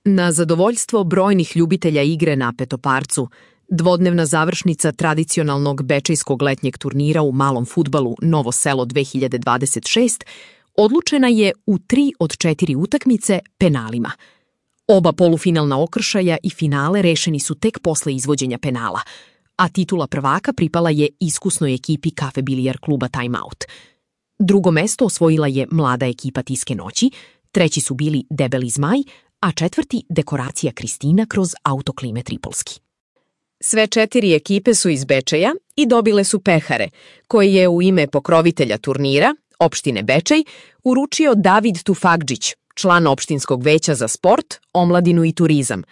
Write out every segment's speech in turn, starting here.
Na zadovoljstvo brojnih ljubitelja igre na petoparcu, dvodnevna završnica tradicionalnog bečejskog letnjeg turnira u malom fudbalu Novo Selo 2026 odlučena je u 3 od 4 utakmice penalima. Oba polufinalna okršaja i finale rešeni su tek posle izvođenja penala, a titula prvaka pripala je iskusnoj ekipi Kafe Bilijar kluba Time Out. Drugo mesto osvojila je mlada ekipa Tiske noći, treći su bili Debeli zmaj, a četvrti Dekoracija Kristina kroz autoklime Tripolski. Sve 4 ekipe su iz Bečeja i dobile su pehare, koje je u ime pokrovitelja turnira, opštine Bečej, uručio David Tufagđić, član opštinskog veća za sport, omladinu i turizam,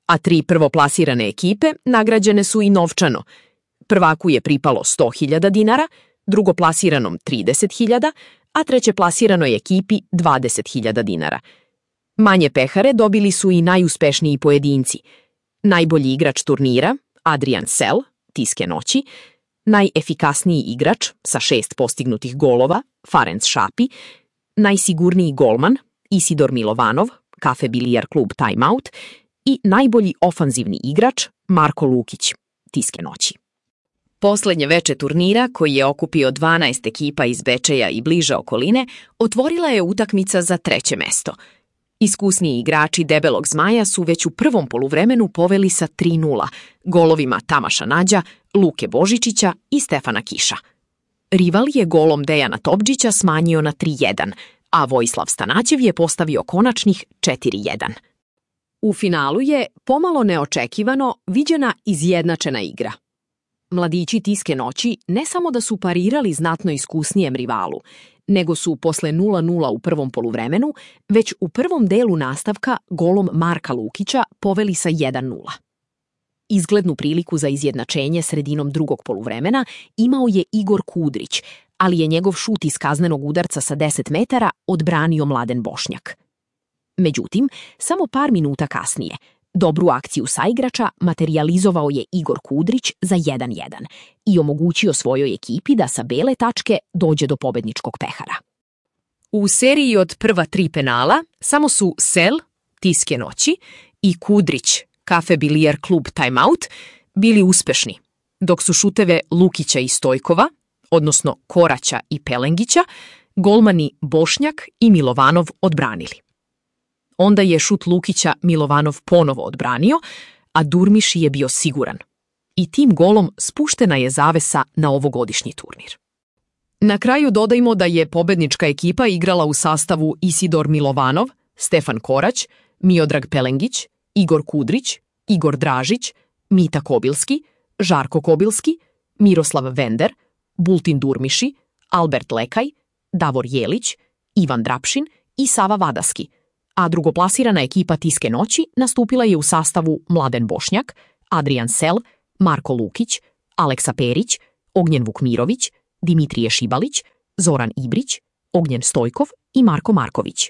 a 3 prvoplasirane ekipe nagrađene su i novčano. Prvaku je pripalo 100.000 dinara, drugoplasiranom 30.000, a trećeplasiranoj ekipi 20.000 dinara. Manje pehare dobili su i najuspešniji pojedinci. Najbolji igrač turnira, Adrian Sel, Tiske noći, najefikasniji igrač sa 6 postignutih golova, Farenc Šapi, najsigurniji golman, Isidor Milovanov, Kafe Bilijar klub Time Out i najbolji ofanzivni igrač, Marko Lukić, Tiske noći. Poslednje veče turnira, koji je okupio 12 ekipa iz Bečeja i bliže okoline, otvorila je utakmica za 3. mesto. Iskusniji igrači Debelog zmaja su već u prvom poluvremenu poveli sa 3:0, golovima Tamaša Nađa, Luke Božičića i Stefana Kiša. Rival je golom Dejana Topđića smanjio na 3:1, a Vojislav Stanaćev je postavio konačnih 4:1. U finalu je, pomalo neočekivano, viđena izjednačena igra. Mladići Tiske noći ne samo da su parirali znatno iskusnijem rivalu, nego su posle 0:0 u prvom poluvremenu, već u prvom delu nastavka golom Marka Lukića poveli sa 1:0. Izglednu priliku za izjednačenje sredinom drugog poluvremena imao je Igor Kudrić, ali je njegov šut iz kaznenog udarca sa 10 metara odbranio Mladen Bošnjak. Međutim, samo par minuta kasnije, dobru akciju saigrača materijalizovao je Igor Kudrić za 1:1 i omogućio svojoj ekipi da sa bele tačke dođe do pobedničkog pehara. U seriji od prva 3 penala samo su Sel, Tiske noći, i Kudrić, Kafe Bilijar klub Time Out, bili uspešni, dok su šuteve Lukića i Stojkova, odnosno Koraća i Pelengića, golmani Bošnjak i Milovanov odbranili. Onda je šut Lukića Milovanov ponovo odbranio, a Durmiši je bio siguran. I tim golom spuštena je zavesa na ovogodišnji turnir. Na kraju dodajmo da je pobednička ekipa igrala u sastavu Isidor Milovanov, Stefan Korać, Miodrag Pelengić, Igor Kudrić, Igor Dražić, Mita Kobilski, Žarko Kobilski, Miroslav Vender, Bultin Durmiši, Albert Lekaj, Davor Jelić, Ivan Drapšin i Sava Vadaski, a drugoplasirana ekipa Tiske noći nastupila je u sastavu Mladen Bošnjak, Adrian Sel, Marko Lukić, Aleksa Perić, Ognjen Vukmirović, Dimitrije Šibalić, Zoran Ibrić, Ognjen Stojkov i Marko Marković.